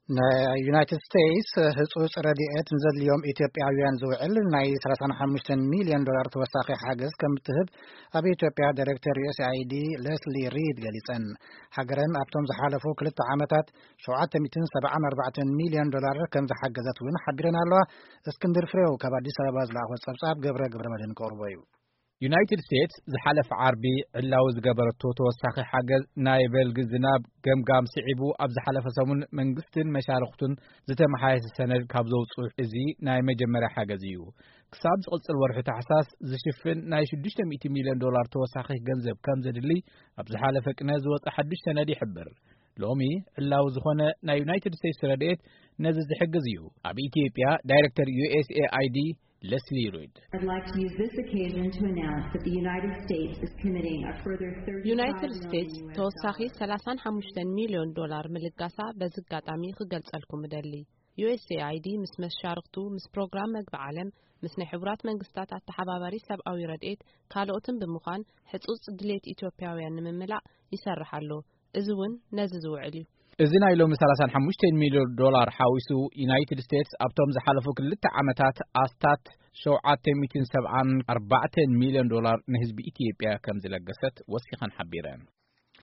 ናይ ዩናይትድ ስቴትስ ህጹጽ ረድኤት ንዘድልዮም ኢትዮጵያውያን ዝውዕል ናይ ሰላሳ ሓሙሽተ ሚልዮን ዶላር ተወሳኺ ሓገዝ ከም እትህብ ኣብ ኢትዮጵያ ዳይሬክተር ዩኤስኤኣይዲ ለስሊ ሪድ ገሊጸን። ሃገረን ኣብቶም ዝሓለፉ ክልተ ዓመታት ሸውዓተ ሚእትን ሰብዓን ኣርባዕተን ሚልዮን ዶላር ከም ዝሓገዘት እውን ሓቢረን ኣለዋ። እስክንድር ፍሬው ካብ ኣዲስ ኣበባ ዝለኣኾ ጸብጻብ ገብረ ገብረ መድህን ከቕርቦ እዩ። ዩናይትድ ስቴትስ ዝሓለፈ ዓርቢ ዕላዊ ዝገበረቶ ተወሳኺ ሓገዝ ናይ በልጊ ዝናብ ገምጋም ስዒቡ፣ ኣብ ዝሓለፈ ሰሙን መንግስትን መሻርኽቱን ዝተመሓየሰ ሰነድ ካብ ዘውፅኡ እዚ ናይ መጀመርያ ሓገዝ እዩ። ክሳብ ዝቕፅል ወርሒ ታሕሳስ ዝሽፍን ናይ ሽዱሽተ ሚእቲ ሚልዮን ዶላር ተወሳኺ ገንዘብ ከም ዘድሊ ኣብ ዝሓለፈ ቅነ ዝወፀ ሓዱሽ ሰነድ ይሕብር። ሎሚ ዕላዊ ዝኾነ ናይ ዩናይትድ ስቴትስ ረድኤት ነዚ ዝሕግዝ እዩ። ኣብ ኢትዮጵያ ዳይሬክተር ዩኤስኤኣይዲ ለስሊ ሪድ I'd like to use this occasion to announce that the United States is committing a further ዩናይትድ ስቴትስ ተወሳኺ ሰላሳን ሓሙሽተን ሚልዮን ዶላር ምልጋሳ በዚ ኣጋጣሚ ክገልጸልኩም እደሊ። ዩኤስኤኣይዲ ምስ መሻርኽቱ፣ ምስ ፕሮግራም መግቢ ዓለም፣ ምስ ናይ ሕቡራት መንግስታት ኣተሓባባሪ ሰብኣዊ ረድኤት ካልኦትን ብምዃን ሕጹጽ ድሌት ኢትዮጵያውያን ንምምላእ ይሰርሕ ኣሎ። እዚ እውን ነዚ ዝውዕል እዩ። እዚ ናይ ሎሚ ሰላሳን ሓሙሽተን ሚልዮን ዶላር ሓዊሱ፣ ዩናይትድ ስቴትስ ኣብቶም ዝሓለፉ ክልተ ዓመታት ኣስታት ሸውዓተ ሚእትን ሰብዓን ኣርባዕተን ሚልዮን ዶላር ንህዝቢ ኢትዮጵያ ከም ዝለገሰት ወሲኸን ሓቢረን።